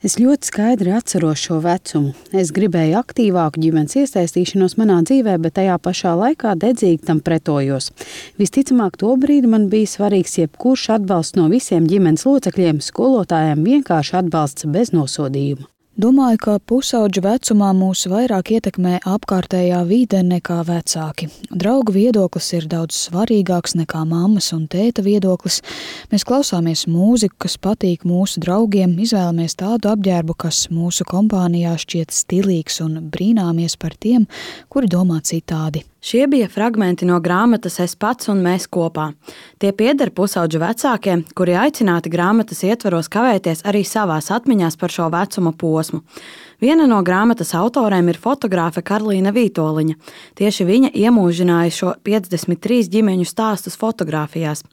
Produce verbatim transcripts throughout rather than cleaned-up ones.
Es ļoti skaidri atceros šo vecumu. Es gribēju aktīvāku ģimenes iesaistīšanos manā dzīvē, bet tajā pašā laikā dedzīgi tam pretojos. Visticamāk, tobrīd man bija svarīgs jebkurš atbalsts no visiem ģimenes locekļiem, skolotājiem vienkārši atbalsts bez nosodījuma. Domāju, ka pusaudža vecumā mūs vairāk ietekmē apkārtējā vide nekā vecāki. Draugu viedoklis ir daudz svarīgāks nekā mammas un tēta viedoklis. Mēs klausāmies mūziku, kas patīk mūsu draugiem, izvēlamies tādu apģērbu, kas mūsu kompānijā šķiet stilīgs un brīnāmies par tiem, kuri domā citādi. Šie bija fragmenti no grāmatas Es pats un mēs kopā. Tie pieder pusaudžu vecākiem, kuri aicināti grāmatas ietvaros kavēties arī savās atmiņās par šo vecuma posmu. Viena no grāmatas autoriem ir fotogrāfe Karlīna Vītoliņa. Tieši viņa iemūžināja šo piecdesmit trīs ģimeņu stāstus fotogrāfijās.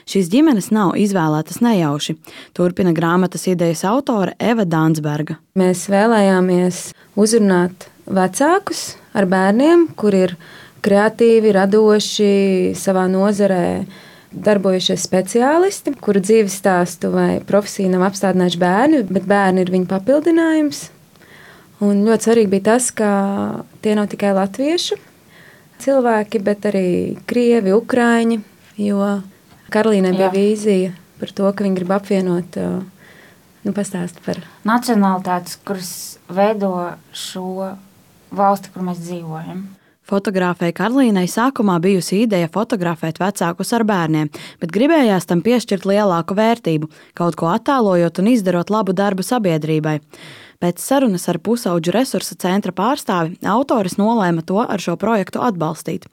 Šīs ģimenes nav izvēlētas nejauši. Turpina grāmatas idejas autore Eva Dansberga. Mēs vēlējāmies uzrunāt vecākus ar bērniem, kur ir kreatīvi, radoši, savā nozarē darbojušies speciālisti, kuru dzīves stāstu vai profesiju nav apstādinājuši bērni, bet bērni ir viņu papildinājums. Un ļoti svarīgi bija tas, ka tie nav tikai latviešu cilvēki, bet arī krievi, ukraiņi, jo Karlīnai bija vīzija par to, ka viņi grib apvienot, nu, pastāst par nacionalitātes, kuras veido šo valsti, kur mēs dzīvojam. Fotogrāfei Karlīnai sākumā bijusi ideja fotografēt vecākus ar bērniem, bet gribējās tam piešķirt lielāku vērtību, kaut ko attēlojot un izdarot labu darbu sabiedrībai. Pēc sarunas ar Pusauģu resursa centra pārstāvi autoris nolēma to ar šo projektu atbalstīt.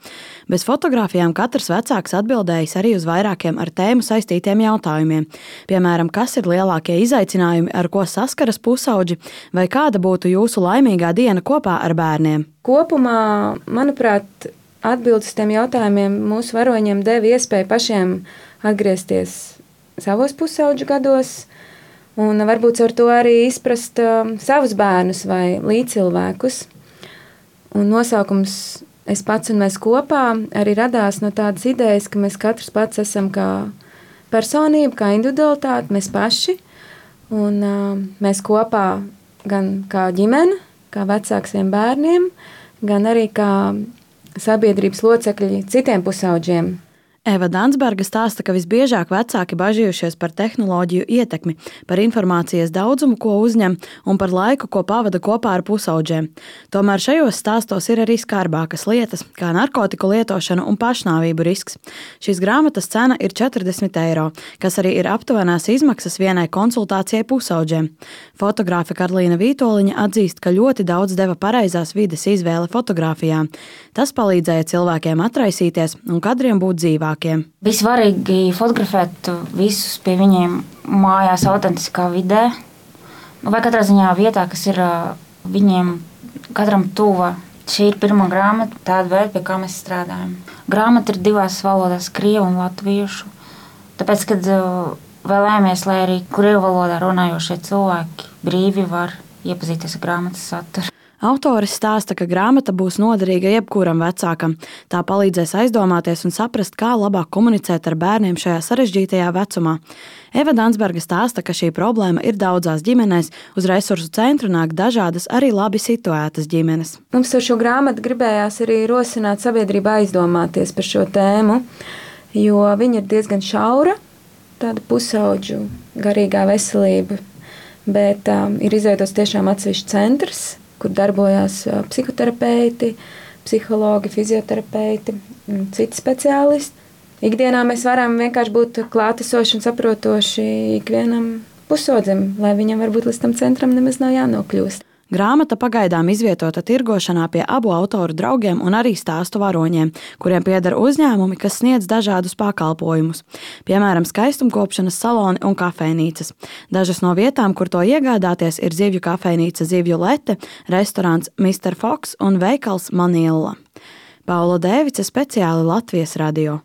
Bez fotogrāfijām katrs vecāks atbildējis arī uz vairākiem ar tēmu saistītiem jautājumiem. Piemēram, kas ir lielākie izaicinājumi, ar ko saskaras pusauģi, vai kāda būtu jūsu laimīgā diena kopā ar bērniem? Kopumā, manuprāt, atbildes uz tiem jautājumiem mūsu varoņiem deva iespēju pašiem atgriezties savos pusauģu gados, un varbūt ar to arī izprast uh, savus bērnus vai līdzcilvēkus. Un nosaukums Es pats un mēs kopā arī radās no tādas idejas, ka mēs katrs pats esam kā personība, kā individualitāte, mēs paši. Un uh, mēs kopā gan kā ģimene, kā vecāks saviem bērniem, gan arī kā sabiedrības locekļi citiem pusauģiem. Eva Dansberga stāsta, ka visbiežāk vecāki bažījušies par tehnoloģiju ietekmi, par informācijas daudzumu, ko uzņem, un par laiku, ko pavada kopā ar pusauģiem. Tomēr šajos stāstos ir arī skarbākas lietas, kā narkotiku lietošana un pašnāvību risks. Šīs grāmatas cena ir četrdesmit eiro, kas arī ir aptuvenās izmaksas vienai konsultācijai pusauģiem. Fotogrāfe Karlīna Vītoliņa atzīst, ka ļoti daudz deva pareizās vides izvēle fotogrāfijām. Tas palīdzēja cilvēkiem atraisīties un kadriem būt dzīvāk. Bija svarīgi fotografēt visus pie viņiem mājās autentiskā vidē, vai katrā ziņā vietā, kas ir viņiem katram tuva. Šī ir pirmā grāmata, tāda veida, pie kā mēs strādājam. Grāmata ir divās valodās, krievu un latviešu. Tāpēc, kad vēlējāmies, lai arī krievu valodā runājošie cilvēki brīvi var iepazīties ar grāmatas saturu. Autoris stāsta, ka grāmata būs noderīga jebkuram vecākam. Tā palīdzēs aizdomāties un saprast, kā labāk komunicēt ar bērniem šajā sarežģītajā vecumā. Eva Dansberga stāsta, ka šī problēma ir daudzās ģimenēs. Uz resursu centru nāk dažādas arī labi situētas ģimenes. Mums ar šo grāmatu gribējās arī rosināt sabiedrību aizdomāties par šo tēmu, jo viņa ir diezgan šaura, tāda pusauģu garīgā veselība, bet um, ir izveidots tiešām atsevišķs centrs, kur darbojās psihoterapeiti, psihologi, fizioterapeiti un citi speciālisti. Ikdienā mēs varam vienkārši būt klātesoši un saprotoši ikvienam pusaudzim, lai viņam varbūt līdz tam centram nemaz nav jānokļūst. Grāmata pagaidām izvietota tirgošanā pie abu autoru draugiem un arī stāstu varoņiem, kuriem pieder uzņēmumi, kas sniedz dažādus pakalpojumus, piemēram, skaistumkopšanas saloni un kafejnīcas. Dažas no vietām, kur to iegādāties, ir zivju kafejnīca Zivju Lete, restorāns mister Fox un veikals Manilla. Paula Dēvice, speciāli Latvijas radio.